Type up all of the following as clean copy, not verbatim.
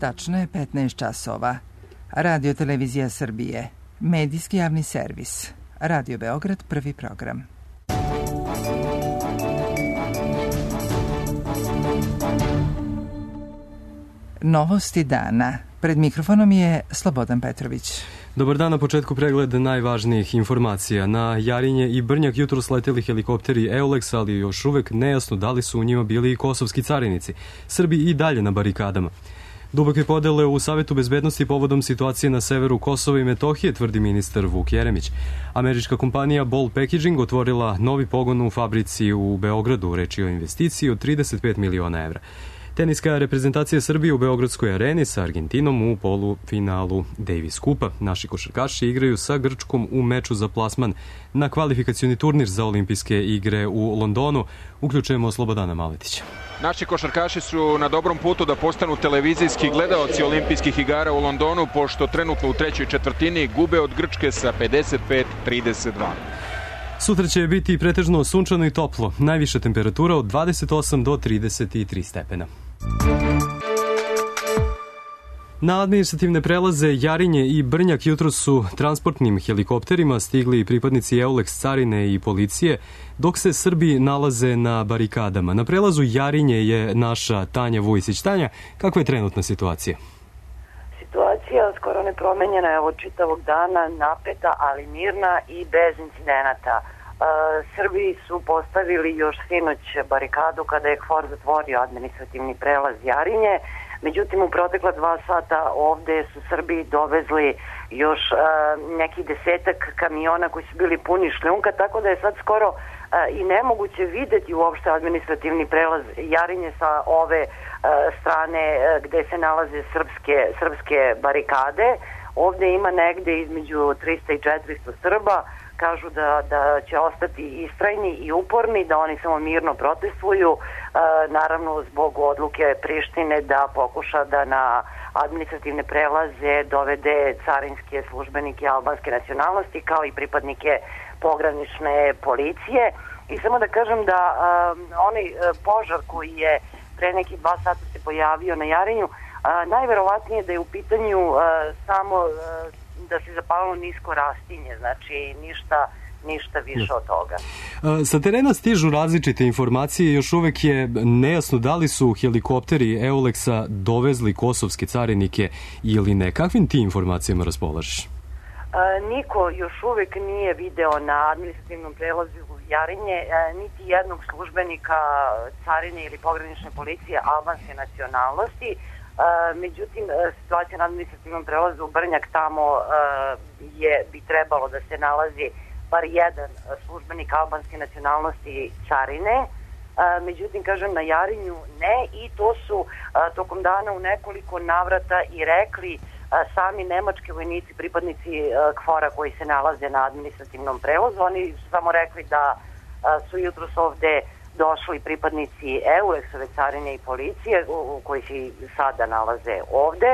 Tačno je 15 časova. Radio Televizija Srbije. Medijski javni servis. Radio Beograd, prvi program. Novosti dana. Pred mikrofonom je Slobodan Petrović. Dobar dan, na početku pregled najvažnijih informacija. Na Jarinje i Brnjak jutro sleteli helikopteri Eulex, ali još uvek nejasno da li su u njima bili i kosovski carinici. Srbi i dalje na barikadama. Duboke podele u Savetu bezbednosti povodom situacije na severu Kosova i Metohije, tvrdi ministar Vuk Jeremić. Američka kompanija Ball Packaging otvorila novi pogon u fabrici u Beogradu, reč je o investiciji od 35 miliona evra. Teniska reprezentacija Srbije u Beogradskoj areni sa Argentinom u polufinalu Davis Kupa. Naši košarkaši igraju sa Grčkom u meču za plasman na kvalifikacioni turnir za olimpijske igre u Londonu. Uključujemo Slobodana Maletića. Naši košarkaši su na dobrom putu da postanu televizijski gledaoci olimpijskih igara u Londonu, pošto trenutno u trećoj četvrtini gube od Grčke sa 55-32. Sutra će biti pretežno sunčano i toplo. Najviša temperatura od 28 do 33 stepena. Na administrativne prelaze Jarinje i Brnjak jutro su transportnim helikopterima stigli pripadnici Eulex carine i policije, dok se Srbi nalaze na barikadama. Na prelazu Jarinje je naša Tanja Vujsić. Tanja, kakva je trenutna situacija? Situacija skoro nepromenjena je od čitavog dana, napeta, ali mirna i bez incidenata. Srbi su postavili još sinoć barikadu kada je KFOR zatvorio administrativni prelaz Jarinje. Međutim, u protekla 2 sata ovde su Srbi dovezli još neki 10-ak kamiona koji su bili puni šljunka, tako da je sad skoro i nemoguće videti uopšte administrativni prelaz Jarinje sa ove strane gde se nalaze srpske barikade. Ovde ima negde između 300 i 400 Srba. Kažu da će ostati istrajni i uporni, da oni samo mirno protestuju, naravno zbog odluke Prištine da pokuša da na administrativne prelaze dovede carinske službenike albanske nacionalnosti kao i pripadnike pogranične policije. I samo da kažem da onaj požar koji je pre nekih 2 sata se pojavio na Jarinju, najverovatnije da je u pitanju samo da se zapalilo nisko rastinje, znači ništa više od toga. Sa terena stižu različite informacije, još uvek je nejasno da li su helikopteri Eulexa dovezli kosovske carinike ili ne. Kakvim ti informacijama raspolažeš? Niko još uvek nije video na administrativnom prelazu Jarinje niti jednog službenika carine ili pogranične policije albanske nacionalnosti. Međutim, situacija na administrativnom prelazu u Brnjak, tamo bi trebalo da se nalazi bar jedan službenik albanske nacionalnosti carine. Međutim, kažem, na Jarinju ne, i to su tokom dana u nekoliko navrata i rekli sami nemački vojnici, pripadnici KFOR-a koji se nalaze na administrativnom prelazu. Oni su samo rekli da su jutros ovde došli pripadnici Eulexove carine i policije koji se sada nalaze ovde.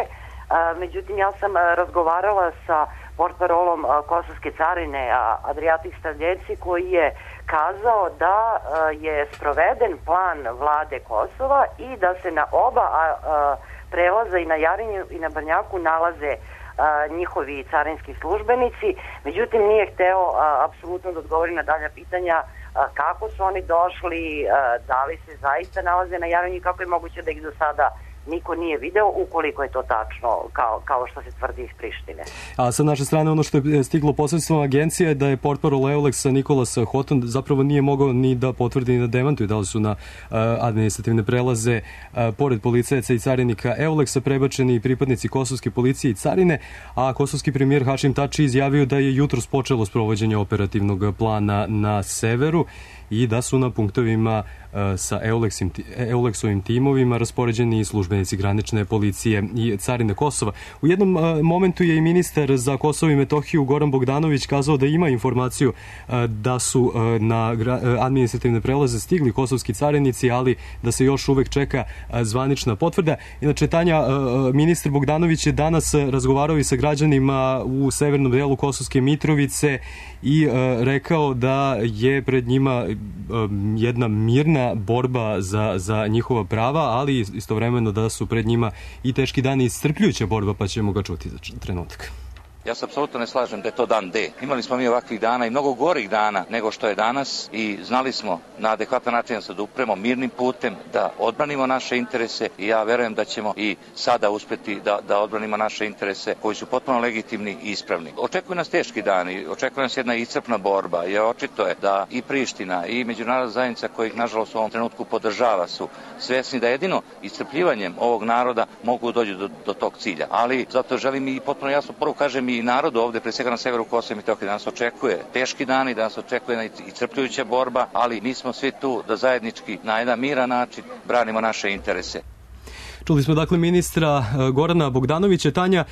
Međutim, ja sam razgovarala sa portparolom kosovske carine Adriatic Stradljeci, koji je kazao da je sproveden plan vlade Kosova i da se na oba prelaza i na Jarinju i na Brnjaku nalaze njihovi carinski službenici. Međutim, nije hteo apsolutno da odgovori na dalja pitanja kako su oni došli, da li se zaista nalaze na Jarinju i kako je moguće da ih do sada niko nije video, ukoliko je to tačno kao što se tvrdi iz Prištine. A sa naše strane ono što je stiglo posredstvom agencije je da je portparol Eulexa Nikolas Hoton zapravo nije mogao ni da potvrdi ni da demantuje da li su na administrativne prelaze pored policajaca i carinika Eulexa prebačeni pripadnici kosovske policije i carine, a kosovski premijer Hašim Tači izjavio da je jutros počelo sprovođenje operativnog plana na severu i da su na punktovima sa Eulexovim timovima raspoređeni i službenici granične policije i carine Kosova. U jednom momentu je i ministar za Kosovo i Metohiju Goran Bogdanović kazao da ima informaciju da su na administrativne prelaze stigli kosovski carinici, ali da se još uvek čeka zvanična potvrda. Inače, Tanja, ministar Bogdanović je danas razgovarao i sa građanima u severnom delu Kosovske Mitrovice i rekao da je pred njima jedna mirna borba za njihova prava, ali istovremeno da su pred njima i teški dani i iscrpljujuća borba, pa ćemo ga čuti za trenutak. Ja se apsolutno ne slažem da je to dan D. Imali smo mi ovakvih dana i mnogo gorih dana nego što je danas i znali smo na adekvatan način da se upremo mirnim putem, da odbranimo naše interese i ja verujem da ćemo i sada uspeti da odbranimo naše interese koji su potpuno legitimni i ispravni. Očekuju nas teški dani, očekuje nas jedna iscrpna borba, jer očito je da i Priština i međunarodna zajednica kojih nažalost u ovom trenutku podržava su svesni da jedino iscrpljivanjem ovog naroda mogu doći do tog cilja. Ali zato želim i potpuno jasno poruku kažem i narodu ovde, pre svega na severu Kosova i Metohije, da nas očekuje teški dani, da nas očekuje iscrpljujuća borba, ali mi smo svi tu da zajednički na jedan miran način branimo naše interese. Čuli smo dakle ministra Gorana Bogdanovića. Tanja,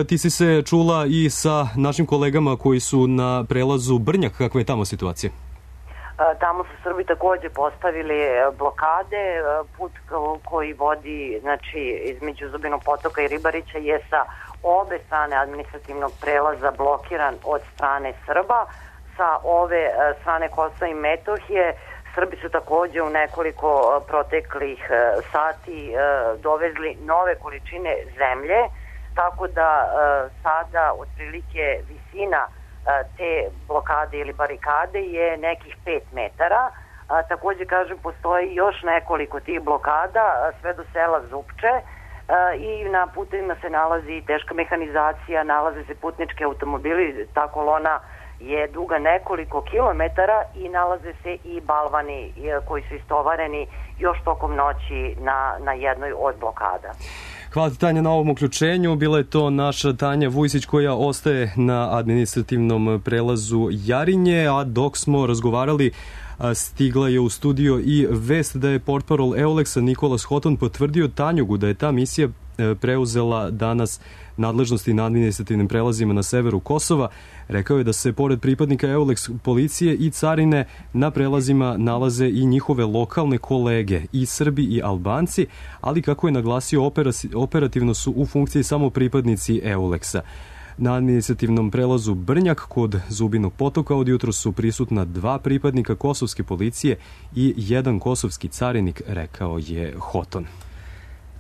ti si se čula i sa našim kolegama koji su na prelazu Brnjak. Kakva je tamo situacija? Tamo su Srbi takođe postavili blokade. Put koji vodi između Zubinog Potoka i Ribarića je sa obe strane administrativnog prelaza blokiran od strane Srba. Sa ove strane Kosova i Metohije Srbi su takođe u nekoliko proteklih sati dovezli nove količine zemlje, tako da sada otprilike visina te blokade ili barikade je nekih 5 metara. Takođe, kažem, postoji još nekoliko tih blokada sve do sela Zupče i na putevima se nalazi teška mehanizacija, nalaze se putnički automobili, ta kolona je duga nekoliko kilometara i nalaze se i balvani koji su istovareni još tokom noći na jednoj od blokada. Hvala ti, Tanja, na ovom uključenju. Bila je to naša Tanja Vujsić koja ostaje na administrativnom prelazu Jarinje, a dok smo razgovarali stigla je u studio i vest da je portparol EULEX-a Nikolas Hoton potvrdio Tanjugu da je ta misija preuzela danas nadležnosti na administrativnim prelazima na severu Kosova. Rekao je da se pored pripadnika EULEX policije i carine na prelazima nalaze i njihove lokalne kolege, i Srbi i Albanci, ali kako je naglasio operativno su u funkciji samo pripadnici EULEX-a. Na administrativnom prelazu Brnjak kod Zubinog Potoka od jutro su prisutna 2 pripadnika kosovske policije i 1 kosovski carinik, rekao je Hoton.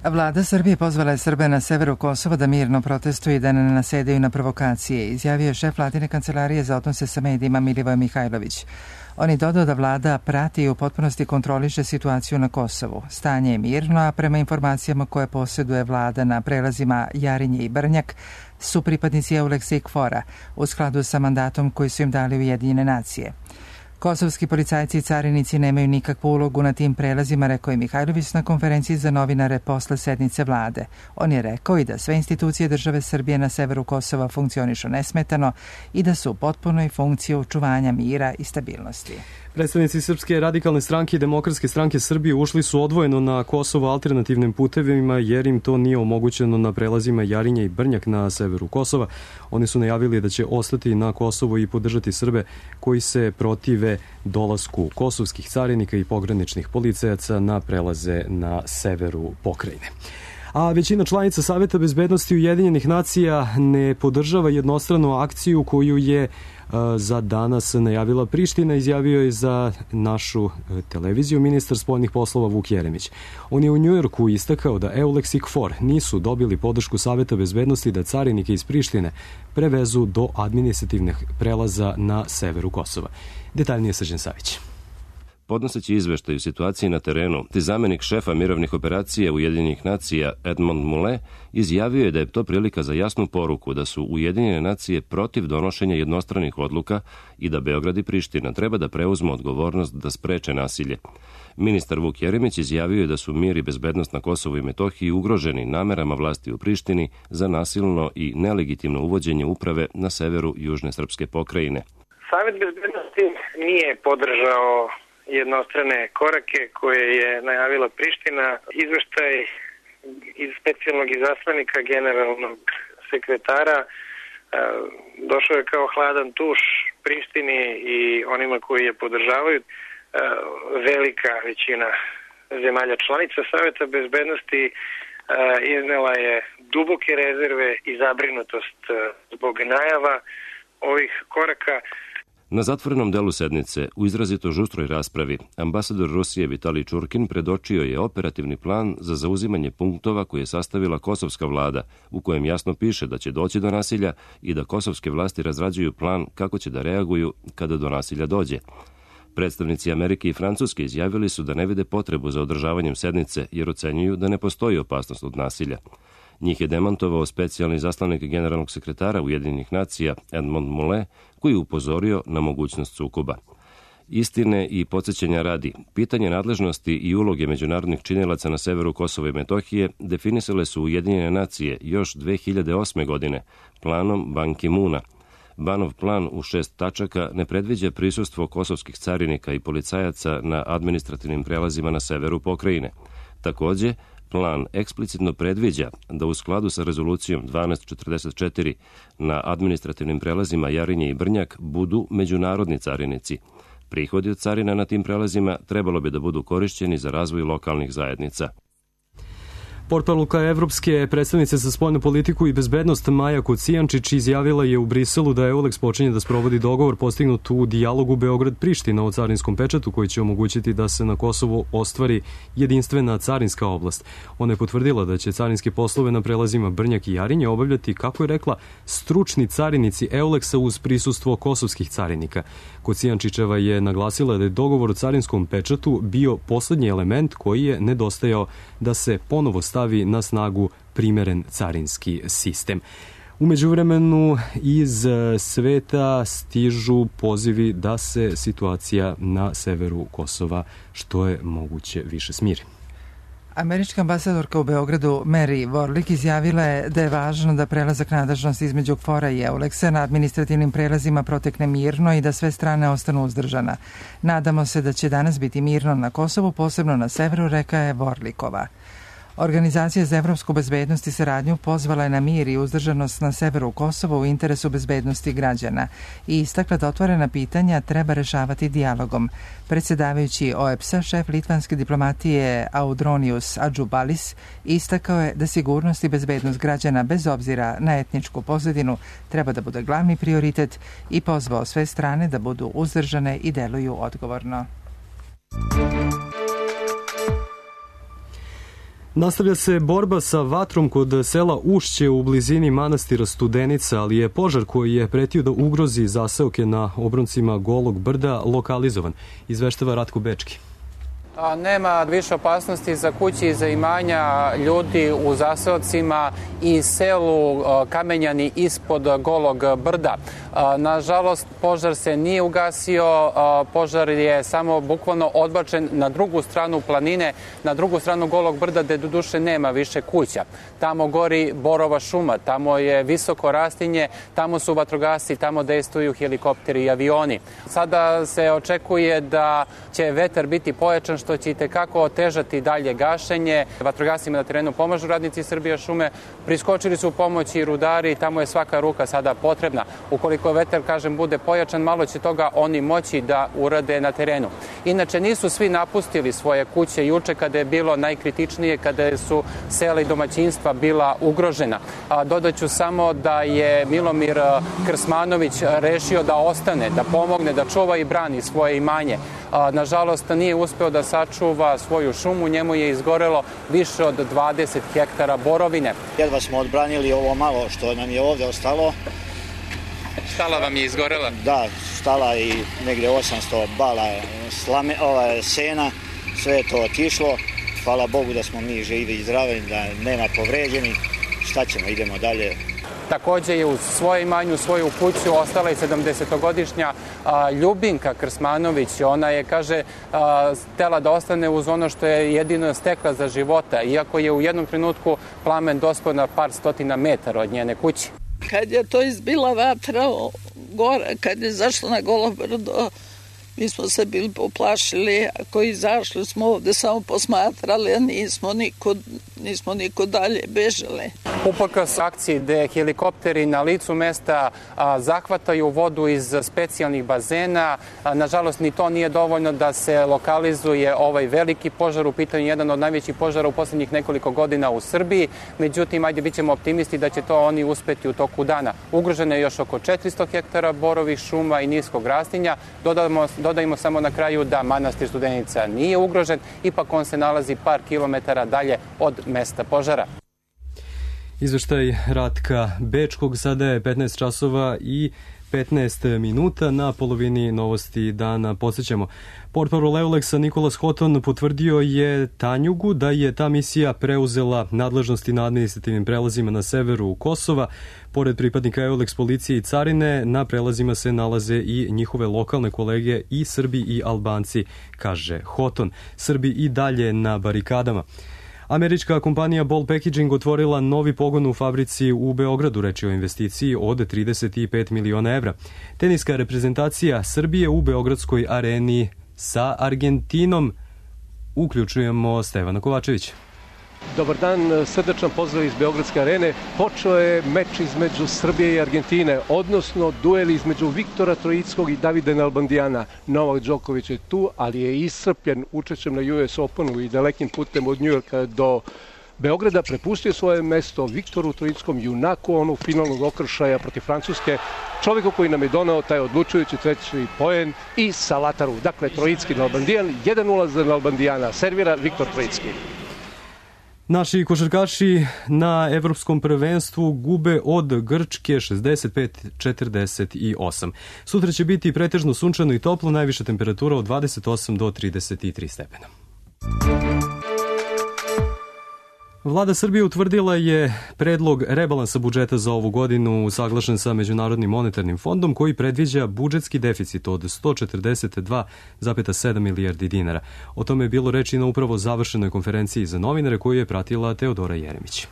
Vlada Srbije pozvala je Srbe na severu Kosova da mirno protestuju i da ne nasedaju na provokacije, izjavio je šef Vladine kancelarije za odnose sa medijima Milivoje Mihajlović. On je dodao da vlada prati i u potpunosti kontroliše situaciju na Kosovu. Stanje je mirno, a prema informacijama koje posjeduje vlada na prelazima Jarinje i Brnjak su pripadnici EULEX-a i KFOR-a u skladu sa mandatom koji su im dali Ujedinjene nacije. Kosovski policajci i carinici nemaju nikakvu ulogu na tim prelazima, rekao je Mihajlović na konferenciji za novinare posle sednice vlade. On je rekao i da sve institucije države Srbije na severu Kosova funkcionišu nesmetano i da su u potpunoj funkciji očuvanja mira i stabilnosti. Predstavnici Srpske radikalne stranke i Demokratske stranke Srbije ušli su odvojeno na Kosovo alternativnim putevima jer im to nije omogućeno na prelazima Jarinje i Brnjak na severu Kosova. Oni su najavili da će ostati na Kosovo i podržati Srbe koji se protive dolasku kosovskih carinika i pograničnih policajaca na prelaze na severu pokrajine. A većina članica Saveta bezbednosti Ujedinjenih nacija ne podržava jednostranu akciju koju je za danas najavila Priština, izjavio je za našu televiziju ministar spoljnih poslova Vuk Jeremić. On je u Njujorku istakao da EULEX i KFOR nisu dobili podršku Saveta bezbednosti da carinike iz Prištine prevezu do administrativnih prelaza na severu Kosova. Detaljnije Srđan Savić. Podnoseći izveštaj o situaciji na terenu, te zamenik šefa mirovnih operacija Ujedinjenih nacija Edmond Mule izjavio je da je to prilika za jasnu poruku da su Ujedinjene nacije protiv donošenja jednostranih odluka i da Beograd i Priština treba da preuzmu odgovornost da spreče nasilje. Ministar Vuk Jeremić izjavio je da su mir i bezbednost na Kosovu i Metohiji ugroženi namerama vlasti u Prištini za nasilno i nelegitimno uvođenje uprave na severu južne srpske pokrajine. Savet bezbednosti nije podržao jednostrane korake koje je najavila Priština. Izveštaj iz specijalnog izaslanika generalnog sekretara došao je kao hladan tuš Prištini i onima koji je podržavaju. Velika većina zemalja članica Saveta bezbednosti iznela je duboke rezerve i zabrinutost zbog najava ovih koraka. Na zatvorenom delu sednice, u izrazito žustroj raspravi, ambasador Rusije Vitalij Čurkin predočio je operativni plan za zauzimanje punktova koje je sastavila kosovska vlada, u kojem jasno piše da će doći do nasilja i da kosovske vlasti razrađuju plan kako će da reaguju kada do nasilja dođe. Predstavnici Amerike i Francuske izjavili su da ne vide potrebu za održavanjem sednice jer ocenjuju da ne postoji opasnost od nasilja. Njih je demantovao specijalni zaslanik generalnog sekretara Ujedinjenih nacija Edmond Moulet, koji je upozorio na mogućnost sukoba. Istine i podsjećanja radi, pitanje nadležnosti i uloge međunarodnih činilaca na severu Kosova i Metohije definisale su Ujedinjene nacije još 2008. godine planom Ban Ki-moona. Banov plan u 6 tačaka ne predviđa prisustvo kosovskih carinika i policajaca na administrativnim prelazima na severu pokrajine. Takođe, plan eksplicitno predviđa da u skladu sa rezolucijom 1244 na administrativnim prelazima Jarinje i Brnjak budu međunarodni carinici. Prihodi od carina na tim prelazima trebalo bi da budu korišćeni za razvoj lokalnih zajednica. Portparolka Evropske predstavnice za spoljnu politiku i bezbednost Maja Kocijančić izjavila je u Briselu da EULEX počinje da sprovodi dogovor postignut u dijalogu Beograd-Priština o carinskom pečatu koji će omogućiti da se na Kosovu ostvari jedinstvena carinska oblast. Ona je potvrdila da će carinske poslove na prelazima Brnjak i Jarinje obavljati, kako je rekla, stručni carinici EULEX-a uz prisustvo kosovskih carinika. Kocijančićeva je naglasila da je dogovor o carinskom pečatu bio poslednji element koji je nedostajao da se ponovo stavi na snagu primeren carinski sistem. U međuvremenu iz sveta stižu pozivi da se situacija na severu Kosova što je moguće više smiri. Američka ambasadorka u Beogradu Mary Warlick izjavila je da je važno da prelazak nadležnosti između KFOR-a i EULEX-a na administrativnim prelazima protekne mirno i da sve strane ostanu uzdržana. Nadamo se da će danas biti mirno na Kosovu, posebno na severu, reka je Warlickova. Organizacija za evropsku bezbednost i saradnju pozvala je na mir i uzdržanost na severu Kosova u interesu bezbednosti građana i istakla da otvorena pitanja treba rešavati dijalogom. Predsjedavajući OEBS-a, šef litvanske diplomatije Audronius Adžubalis istakao je da sigurnost i bezbednost građana bez obzira na etničku pozadinu treba da bude glavni prioritet i pozvao sve strane da budu uzdržane i deluju odgovorno. Nastavlja se borba sa vatrom kod sela Ušće u blizini manastira Studenica, ali je požar koji je pretio da ugrozi zaseoke na obroncima Golog brda lokalizovan, izveštava Ratko Bečki. Nema više opasnosti za kući i za imanja ljudi u zaseocima i selu Kamenjani ispod Golog brda. Nažalost, požar se nije ugasio, požar je samo bukvalno odbačen na drugu stranu planine, na drugu stranu Golog brda gde do duše nema više kuća. Tamo gori borova šuma, tamo je visoko rastinje, tamo su vatrogasci, tamo dejstvuju helikopteri i avioni. Sada se očekuje da će vetar biti pojačan što će itekako otežati dalje gašenje. Vatrogascima na terenu pomažu radnici Srbija šume, priskočili su u pomoć i rudari, tamo je svaka ruka sada potrebna. Ukoliko vetar, kažem, bude pojačan, malo će toga oni moći da urade na terenu. Inače, nisu svi napustili svoje kuće juče kada je bilo najkritičnije, kada su sela i domaćinstva bila ugrožena. Dodaću samo da je Milomir Krsmanović rešio da ostane, da pomogne, da čuva i brani svoje imanje. Nažalost, nije uspeo da sačuva svoju šumu, njemu je izgorelo više od 20 hektara borovine. Jedva smo odbranili ovo malo što nam je ovde ostalo. Štala vam je izgorela? Da, štala i negde 800 bala sena, sve je to otišlo. Hvala Bogu da smo mi živi i zdravi, da nema povređenih. Šta ćemo, idemo dalje. Takođe je uz svoje imanje, u svoju kuću ostala i 70-godišnja Ljubinka Krsmanović. Ona je, kaže, htela da ostane uz ono što je jedino stekla za života, iako je u jednom trenutku plamen dospeo na par stotina metara od njene kuće. Kad je to izbila vatra gore, kad je zašla na Golo brdo, Mi smo se bili poplašili, ako izašli smo ovde samo posmatrali, a nismo niko dalje bežali. Uprkos akciji gde helikopteri na licu mesta zahvataju vodu iz specijalnih bazena, nažalost ni to nije dovoljno da se lokalizuje ovaj veliki požar, u pitanju jedan od najvećih požara u poslednjih nekoliko godina u Srbiji. Međutim, bit ćemo optimisti da će to oni uspeti u toku dana. Ugroženo je još oko 400 hektara borovih šuma i niskog rastinja. Dodajmo samo na kraju da manastir Studenica nije ugrožen, ipak on se nalazi par kilometara dalje od mesta požara. Izveštaj Ratka Bečkog, sada je 15 časova i 15 minuta. Na polovini novosti dana podsjećamo. Portparol Euleksa Nicholas Houghton potvrdio je Tanjugu da je ta misija preuzela nadležnosti na administrativnim prelazima na severu Kosova. Pored pripadnika Euleks policije i carine, na prelazima se nalaze i njihove lokalne kolege i Srbi i Albanci, kaže Houghton. Srbi i dalje na barikadama. Američka kompanija Ball Packaging otvorila novi pogon u fabrici u Beogradu, reči o investiciji od 35 miliona evra. Teniska reprezentacija Srbije u Beogradskoj areni sa Argentinom. Uključujemo Stevana Kovačevića. Dobar dan, srdačan pozdrav iz Beogradske arene. Počeo je meč između Srbije i Argentine, odnosno duel između Viktora Troickog i Davida Nalbandijana. Novak Đoković je tu, ali je iscrpljen učešćem na US Openu i dalekim putem od Njujorka do Beograda. Prepustio svoje mesto Viktoru Troickom, junaku onog finalnog okršaja protiv Francuske, čovjeku koji nam je donao taj odlučujući treći poen i Salataru. Dakle, Troicki Nalbandijan, 1-0 za Nalbandijana, servira Viktor Troicki. Naši košarkaši na evropskom prvenstvu gube od Grčke 65-48. Sutra će biti pretežno sunčano i toplo, najviša temperatura od 28 do 33 stepena. Vlada Srbije utvrdila je predlog rebalansa budžeta za ovu godinu usaglašen sa Međunarodnim monetarnim fondom koji predviđa budžetski deficit od 142,7 milijardi dinara. O tome je bilo reči na upravo završenoj konferenciji za novinare koju je pratila Teodora Jeremić.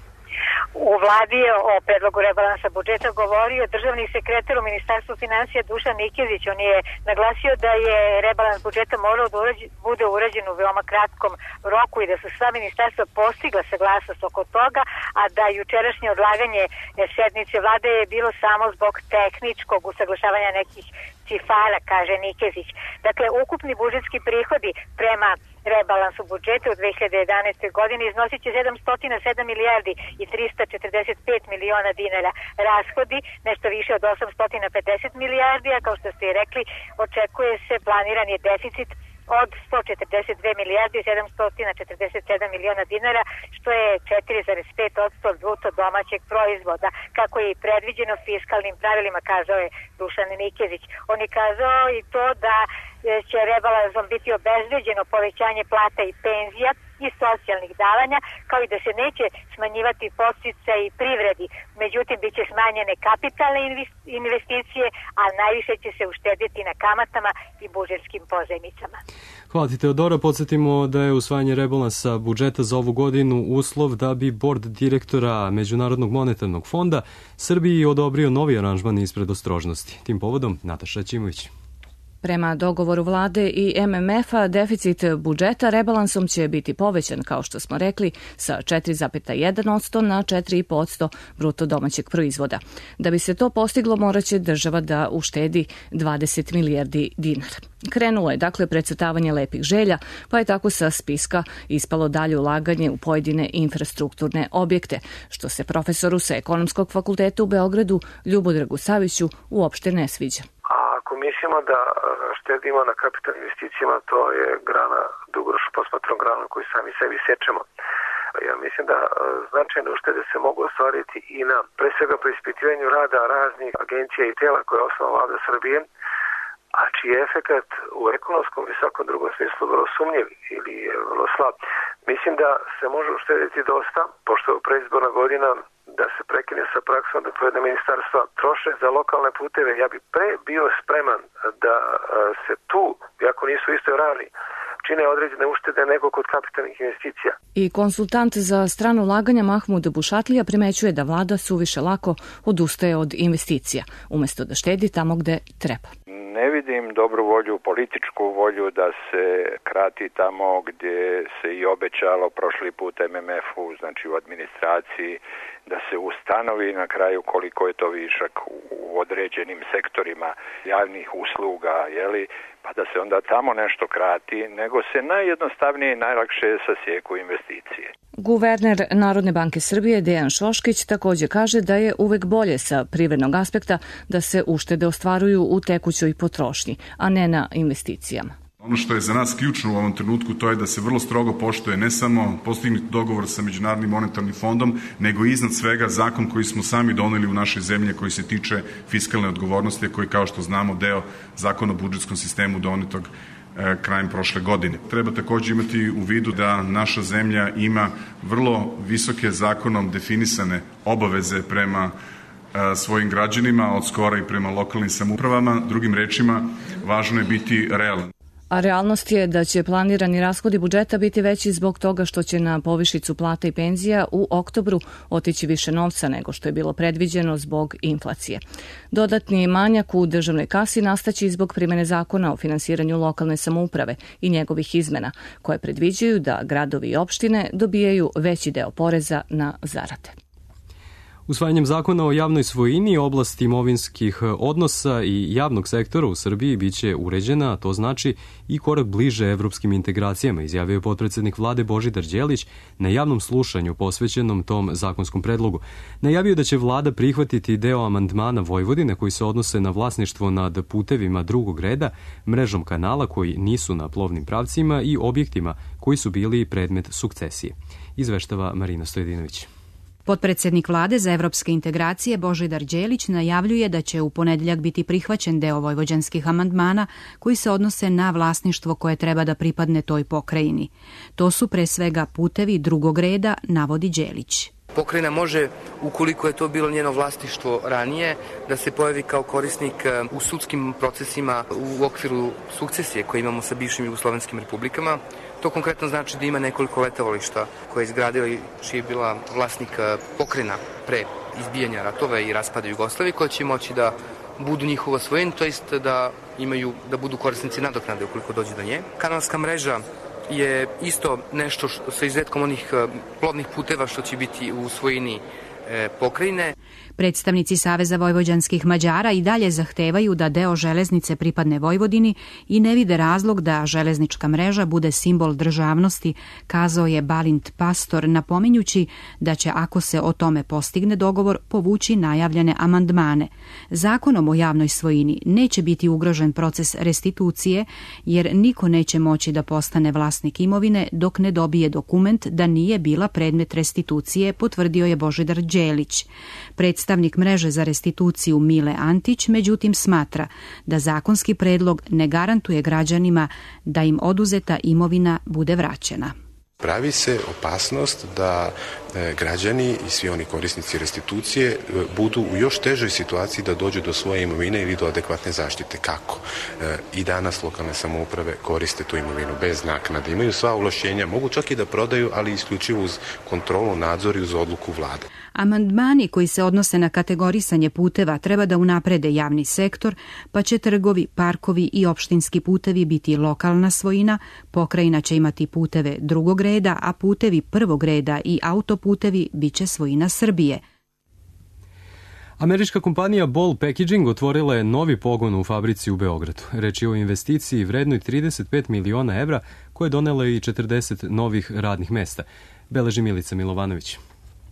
U vladi je o predlogu rebalansa budžeta govorio državni sekretar u Ministarstvu finansija Dušan Nikezić. On je naglasio da je rebalans budžeta morao da bude urađen u veoma kratkom roku i da su sva ministarstva postigla saglasnost oko toga, a da jučerašnje odlaganje sednice vlade je bilo samo zbog tehničkog usaglašavanja nekih cifara, kaže Nikezić. Dakle, ukupni budžetski prihodi prema rebalansu budžeta u 2011. godini iznosit će 707 milijardi i 345 miliona dinara. Rashodi nešto više od 850 milijardi, a kao što ste i rekli, očekuje se planiran je deficit od 142 milijardi i 747 miliona dinara, što je 4,5% od bruto domaćeg proizvoda, kako je i predviđeno fiskalnim pravilima, kazao je Dušan Nikezić. On je kazao i to da će rebalansom biti obezbeđeno povećanje plata i penzija i socijalnih davanja, kao i da se neće smanjivati podsticaji i privredi. Međutim, bit će smanjene kapitalne investicije, a najviše će se uštedjeti na kamatama i budžetskim pozajmicama. Hvala ti, Teodora. Podsjetimo da je usvajanje rebalansa budžeta za ovu godinu uslov da bi bord direktora Međunarodnog monetarnog fonda Srbiji odobrio novi aranžman ispred ostrožnosti. Tim povodom Nataša Ćimović. Prema dogovoru vlade i MMF-a, deficit budžeta rebalansom će biti povećan, kao što smo rekli, sa 4,1% na 4,5% bruto domaćeg proizvoda. Da bi se to postiglo, moraće država da uštedi 20 milijardi dinara. Krenulo je, dakle, precrtavanje lepih želja, pa je tako sa spiska ispalo dalje ulaganje u pojedine infrastrukturne objekte, što se profesoru sa Ekonomskog fakulteta u Beogradu, Ljubodragu Saviću, uopšte ne sviđa. Ako mislimo da štedimo na kapitalnim investicijama, to je grana, dugoročno posmatrom grana koju sami sebi sečemo. Ja mislim da značajne uštede se mogu ostvariti i na pre svega preispitivanju rada raznih agencija i tela koje je osnovala Vlada Srbije, a čiji je efekat u ekonomskom i svakom drugom smislu vrlo sumnjiv ili je vrlo slab. Mislim da se može uštediti dosta, pošto je preizborna godina, da se prekine sa praksom da pojedina ministarstva troše za lokalne puteve. Ja bi pre bio spreman da se tu, iako nisu istoj ravni, čine određene uštede nego kod kapitalnih investicija. I konsultant za strano ulaganja Mahmud Bušatlija primećuje da vlada suviše lako odustaje od investicija, umjesto da štedi tamo gde treba. Ne vidim dobru volju, političku volju da se krati tamo gdje se i obećalo prošli put MMF-u, znači u administraciji, da se ustanovi na kraju koliko je to višak u određenim sektorima javnih usluga, pa da se onda tamo nešto krati, nego se najjednostavnije i najlakše sasijeku investicije. Guverner Narodne banke Srbije Dejan Šoškić također kaže da je uvek bolje sa privrednog aspekta da se uštede ostvaruju u tekućoj potrošnji, a ne na investicijama. Ono što je za nas ključno u ovom trenutku to je da se vrlo strogo poštuje ne samo postignuti dogovor sa Međunarodnim monetarnim fondom, nego iznad svega zakon koji smo sami doneli u našoj zemlji koji se tiče fiskalne odgovornosti, koji kao što znamo deo zakona o budžetskom sistemu donetog krajem prošle godine. Treba također imati u vidu da naša zemlja ima vrlo visoke zakonom definisane obaveze prema svojim građanima, od skora i prema lokalnim samoupravama. Drugim rečima, važno je biti realan. A realnost je da će planirani rashodi budžeta biti veći zbog toga što će na povišicu plata i penzija u oktobru otići više novca nego što je bilo predviđeno zbog inflacije. Dodatni manjak u državnoj kasi nastaći zbog primjene zakona o finansiranju lokalne samouprave i njegovih izmena, koje predviđaju da gradovi i opštine dobijaju veći deo poreza na zarade. Usvajanjem zakona o javnoj svojini, oblasti imovinskih odnosa i javnog sektora u Srbiji biće uređena, a to znači i korak bliže evropskim integracijama, izjavio je potpredsednik vlade Božidar Đelić na javnom slušanju posvećenom tom zakonskom predlogu. Najavio da će vlada prihvatiti deo amandmana Vojvodine koji se odnose na vlasništvo nad putevima drugog reda, mrežom kanala koji nisu na plovnim pravcima i objektima koji su bili predmet sukcesije. Izveštava Marina Stojedinović. Potpredsednik vlade za evropske integracije Božidar Đelić najavljuje da će u ponedeljak biti prihvaćen deo vojvođanskih amandmana koji se odnose na vlasništvo koje treba da pripadne toj pokrajini. To su pre svega putevi drugog reda, navodi Đelić. Pokrajina može, ukoliko je to bilo njeno vlasništvo ranije, da se pojavi kao korisnik u sudskim procesima u okviru sukcesije koje imamo sa bivšim jugoslovenskim republikama. To konkretno znači da ima nekoliko letovališta koje je izgradila i čiji je bila vlasnik pokrajina pre izbijanja ratova i raspada Jugoslavije, koja će moći da budu njihova svojina, to jest da budu korisnici nadoknade ukoliko dođe do nje. Kanalska mreža je isto nešto sa izuzetkom onih plovnih puteva što će biti u svojini pokrajine. Predstavnici Saveza vojvođanskih Mađara i dalje zahtevaju da deo železnice pripadne Vojvodini i ne vide razlog da železnička mreža bude simbol državnosti, kazao je Balint Pastor, napominjući da će, ako se o tome postigne dogovor, povući najavljene amandmane. Zakonom o javnoj svojini neće biti ugrožen proces restitucije, jer niko neće moći da postane vlasnik imovine dok ne dobije dokument da nije bila predmet restitucije, potvrdio je Božidar Đelić. Predstavnik mreže za restituciju Mile Antić, međutim, smatra da zakonski predlog ne garantuje građanima da im oduzeta imovina bude vraćena. Pravi se opasnost da građani i svi oni korisnici restitucije budu u još težoj situaciji da dođu do svoje imovine ili do adekvatne zaštite. Kako? I danas lokalne samouprave koriste tu imovinu bez naknade. Imaju sva ovlašćenja, mogu čak i da prodaju, ali isključivo uz kontrolu, nadzor i uz odluku vlade. Amandmani koji se odnose na kategorisanje puteva treba da unaprede javni sektor, pa će trgovi, parkovi i opštinski putevi biti lokalna svojina, pokrajina će imati puteve drugog reda, a putevi prvog reda i autoputevi bit će svojina Srbije. Američka kompanija Ball Packaging otvorila je novi pogon u fabrici u Beogradu. Reč je o investiciji vrednoj 35 miliona evra koje je donela i 40 novih radnih mesta. Beleži Milica Milovanović.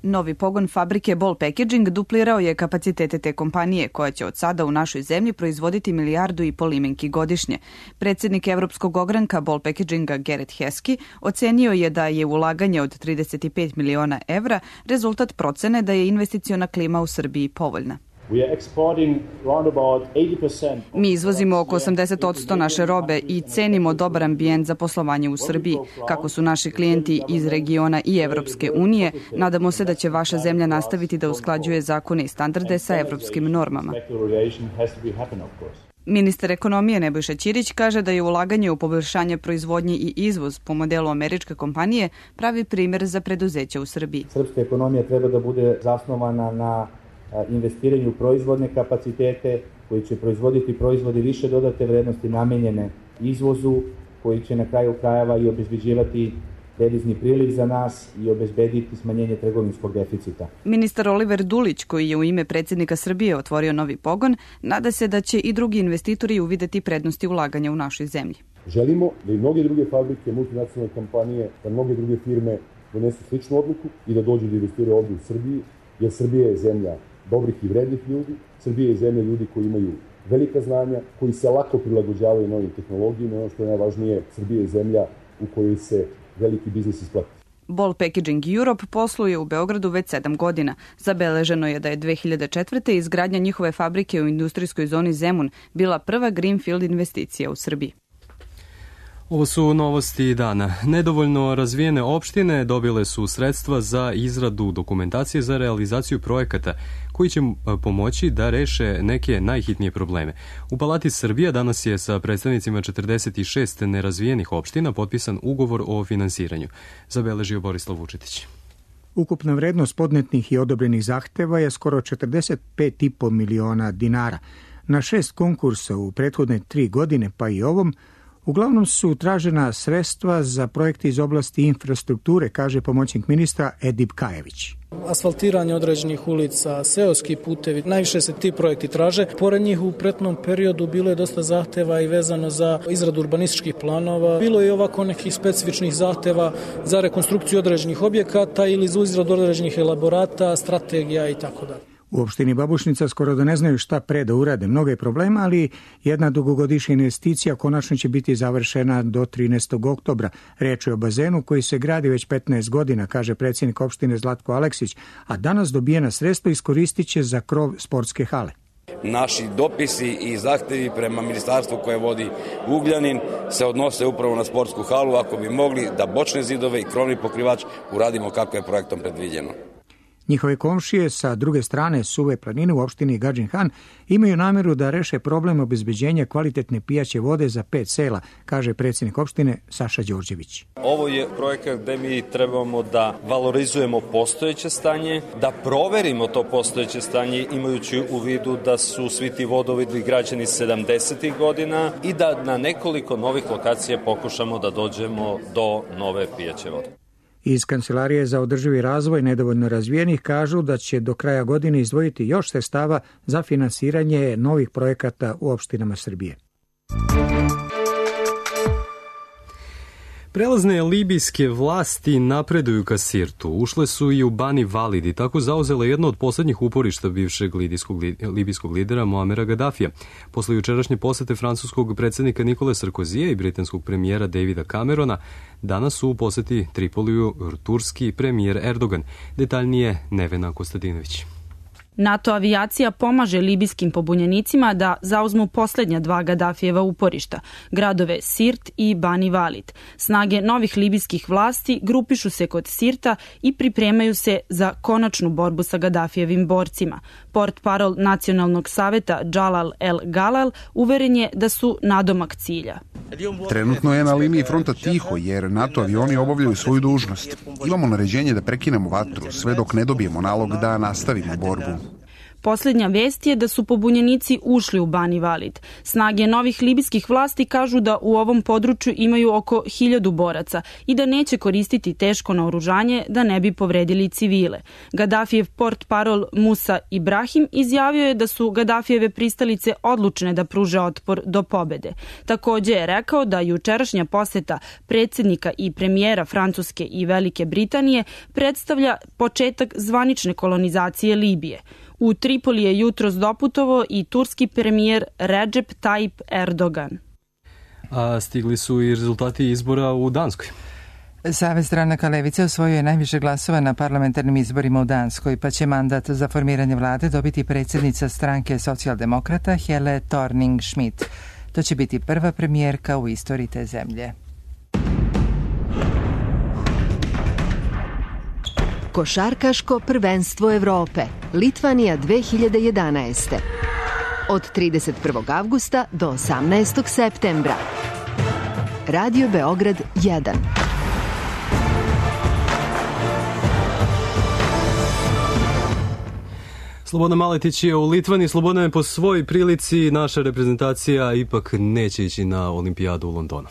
Novi pogon fabrike Ball Packaging duplirao je kapacitete te kompanije, koja će od sada u našoj zemlji proizvoditi 1,5 milijardu limenki godišnje. Predsjednik Evropskog ogranka Ball Packaginga Gerrit Heskey ocenio je da je ulaganje od 35 miliona evra rezultat procene da je investiciona klima u Srbiji povoljna. Mi izvozimo oko 80% naše robe i cenimo dobar ambijent za poslovanje u Srbiji. Kako su naši klijenti iz regiona i Evropske unije, nadamo se da će vaša zemlja nastaviti da usklađuje zakone i standarde sa evropskim normama. Ministar ekonomije Nebojša Ćirić kaže da je ulaganje u poboljšanje proizvodnje i izvoz po modelu američke kompanije pravi primjer za preduzeća u Srbiji. Srpska ekonomija treba da bude zasnovana na investiranju u proizvodne kapacitete koji će proizvoditi proizvode više dodate vrednosti namenjene izvozu, koji će na kraju krajeva i obezbeđivati devizni priliv za nas i obezbediti smanjenje trgovinskog deficita. Ministar Oliver Dulić, koji je u ime predsjednika Srbije otvorio novi pogon, nada se da će i drugi investitori uvideti prednosti ulaganja u našoj zemlji. Želimo da i mnoge druge fabrike, multinacionalne kompanije, da mnoge druge firme donesu sličnu odluku i da dođu da investiraju ovdje u Srbiji, jer Srbija je zemlja dobrih i vrednih ljudi, Srbija je zemlja ljudi koji imaju velika znanja, koji se lako prilagođavaju novim tehnologijama, ono što je najvažnije, Srbija je zemlja u kojoj se veliki biznis isplati. Ball Packaging Europe posluje u Beogradu već 7 godina. Zabeleženo je da je 2004. izgradnja njihove fabrike u industrijskoj zoni Zemun bila prva greenfield investicija u Srbiji. Ovo su novosti dana. Nedovoljno razvijene opštine dobile su sredstva za izradu dokumentacije za realizaciju projekata koji će pomoći da reše neke najhitnije probleme. U Palati Srbija danas je sa predstavnicima 46 nerazvijenih opština potpisan ugovor o finansiranju. Zabeležio Borislav Vučetić. Ukupna vrednost podnetnih i odobrenih zahteva je skoro 45,5 miliona dinara. Na 6 konkursa u prethodne 3 godine, pa i ovom, uglavnom su tražena sredstva za projekte iz oblasti infrastrukture, kaže pomoćnik ministra Edip Kajević. Asfaltiranje određenih ulica, seoski putevi, najviše se ti projekti traže. Pored njih u prethodnom periodu bilo je dosta zahteva i vezano za izradu urbanističkih planova. Bilo je i ovako nekih specifičnih zahteva za rekonstrukciju određenih objekata ili za izradu određenih elaborata, strategija i tako dalje. U opštini Babušnica skoro da ne znaju šta pre da urade. Mnogo je problema, ali jedna dugogodišnja investicija konačno će biti završena do 13. oktobra. Reč je o bazenu koji se gradi već 15 godina, kaže predsjednik opštine Zlatko Aleksić, a danas dobijena sredstva iskoristit će za krov sportske hale. Naši dopisi i zahtevi prema ministarstvu koje vodi Ugljanin se odnose upravo na sportsku halu, ako bi mogli da bočne zidove i krovni pokrivač uradimo kako je projektom predviđeno. Njihove komšije sa druge strane Suve planine u opštini Gadžin Han imaju namjeru da reše problem obezbeđenja kvalitetne pijaće vode za 5 sela, kaže predsjednik opštine Saša Đorđević. Ovo je projekat gde mi trebamo da valorizujemo postojeće stanje, da proverimo to postojeće stanje imajući u vidu da su svi ti vodovi građeni 70. godina i da na nekoliko novih lokacija pokušamo da dođemo do nove pijaće vode. Iz Kancelarije za održivi razvoj nedovoljno razvijenih kažu da će do kraja godine izdvojiti još sredstava za finansiranje novih projekata u opštinama Srbije. Prelazne libijske vlasti napreduju ka Sirtu. Ušle su i u Bani Valid i tako zauzele jedno od poslednjih uporišta bivšeg libijskog lidera Muamera Gaddafija. Posle jučerašnje posete francuskog predsjednika Nikole Sarkozija i britanskog premijera Davida Camerona, danas su u poseti Tripoliju turski premijer Erdogan. Detaljnije Nevena Kostadinović. NATO avijacija pomaže libijskim pobunjenicima da zauzmu posljednja 2 Gaddafijeva uporišta, gradove Sirt i Bani Valid. Snage novih libijskih vlasti grupišu se kod Sirta i pripremaju se za konačnu borbu sa Gaddafijevim borcima. Portparol Nacionalnog saveta Jalal El Galal uveren je da su nadomak cilja. Trenutno je na liniji fronta tiho jer NATO avioni obavljaju svoju dužnost. Imamo naređenje da prekinemo vatru sve dok ne dobijemo nalog da nastavimo borbu. Posljednja vest je da su pobunjenici ušli u Bani Valid. Snage novih libijskih vlasti kažu da u ovom području imaju oko 1000 boraca i da neće koristiti teško naoružanje da ne bi povredili civile. Gaddafijev portparol Musa Ibrahim izjavio je da su Gaddafijeve pristalice odlučne da pruže otpor do pobede. Također je rekao da jučerašnja poseta predsjednika i premijera Francuske i Velike Britanije predstavlja početak zvanične kolonizacije Libije. U Tripoli je jutros doputovao i turski premijer Recep Tayyip Erdogan. A stigli su i rezultati izbora u Danskoj. Savez stranaka levice osvojio je najviše glasova na parlamentarnim izborima u Danskoj, pa će mandat za formiranje vlade dobiti predsjednica stranke socijaldemokrata Helle Thorning-Schmidt. To će biti prva premijerka u istoriji te zemlje. Košarkaško prvenstvo Evrope, Litvanija 2011. od 31. avgusta do 18. septembra. Radio Beograd 1. Slobodan Maletić je u Litvani. Slobodane, po svoj prilici naša reprezentacija ipak neće ići na olimpijadu u Londonu.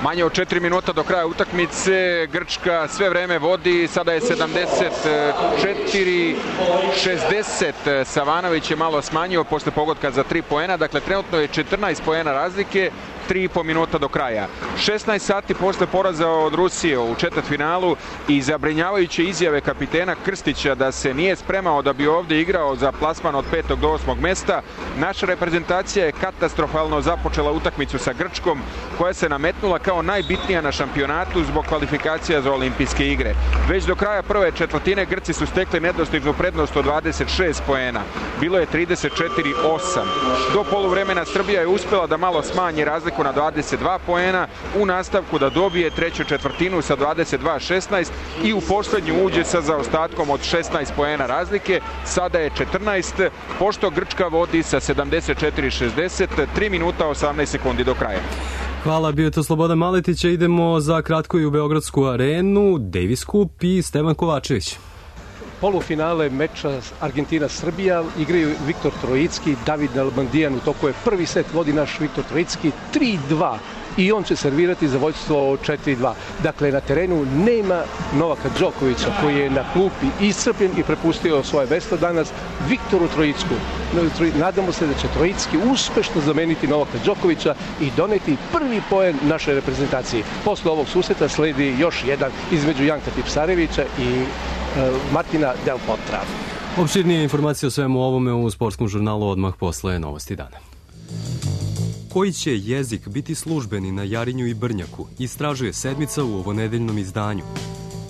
Manje od 4 minuta do kraja utakmice, Grčka sve vreme vodi, sada je 74-60, Savanović je malo smanjio posle pogotka za 3 poena, dakle trenutno je 14 poena razlike, 3,5 minuta do kraja. 16 sati posle poraza od Rusije u četvrtfinalu i zabrinjavajuće izjave kapitena Krstića da se nije spremao da bi ovdje igrao za plasman od 5. do 8. mesta, naša reprezentacija je katastrofalno započela utakmicu sa Grčkom, koja se nametnula kao najbitnija na šampionatu zbog kvalifikacija za olimpijske igre. Već do kraja prve četvrtine Grci su stekli nedostižnu prednost od 26 poena. Bilo je 34-8. Do poluvremena Srbija je uspjela da malo smanji razliku na 22 poena, u nastavku da dobije treću četvrtinu sa 22-16 i u posljednju uđe sa zaostatkom od 16 poena razlike. Sada je 14, pošto Grčka vodi sa 74-60, 3 minuta 18 sekundi do kraja. Hvala, bio je to Slobodan Maletić. Idemo za kratko i u Beogradsku arenu. Davis Cup i Stevan Kovačević. Polufinale meča Argentina-Srbija igraju Viktor Trojicki i David Nalbandijan. U toku je prvi set, vodi naš Viktor Trojicki 3-2 i on će servirati za vođstvo 4-2. Dakle, na terenu nema Novaka Đokovića koji je na klupi iscrpljen i prepustio svoje mesto danas Viktoru Trojicku. Nadamo se da će Trojicki uspešno zameniti Novaka Đokovića i doneti prvi poen našoj reprezentaciji. Posle ovog susreta sledi još jedan između Janka Tipsarevića i Martina Del Potra. Opširnije informacije o svemu ovome u sportskom žurnalu odmah posle Novosti dana. Koji će jezik biti službeni na Jarinju i Brnjaku, istražuje Sedmica u ovonedeljnom izdanju.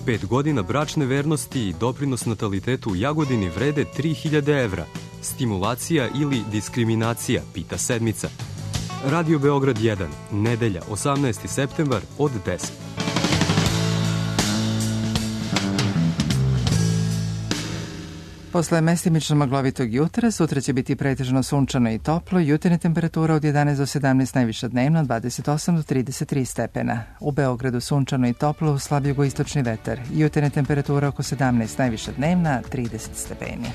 5 godina bračne vernosti i doprinos natalitetu u Jagodini vrede 3000 evra. Stimulacija ili diskriminacija, pita Sedmica. Radio Beograd 1, nedelja, 18. septembar od 10. Posle mestimično maglovitog jutra, sutra će biti pretežno sunčano i toplo, jutarnja temperatura od 11 do 17, najviša dnevno 28 do 33 stepena. U Beogradu sunčano i toplo, slab jugoistočni vetar, jutarnja temperatura oko 17, najviša dnevna 30 stepeni.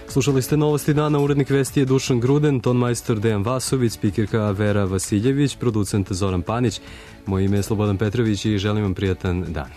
Slušali ste Novosti dana, urednik vesti je Dušan Gruden, tonmajstor Dejan Vasović, spikerka Vera Vasiljević, producent Zoran Panić. Moje ime je Slobodan Petrović i želim vam prijatan dan.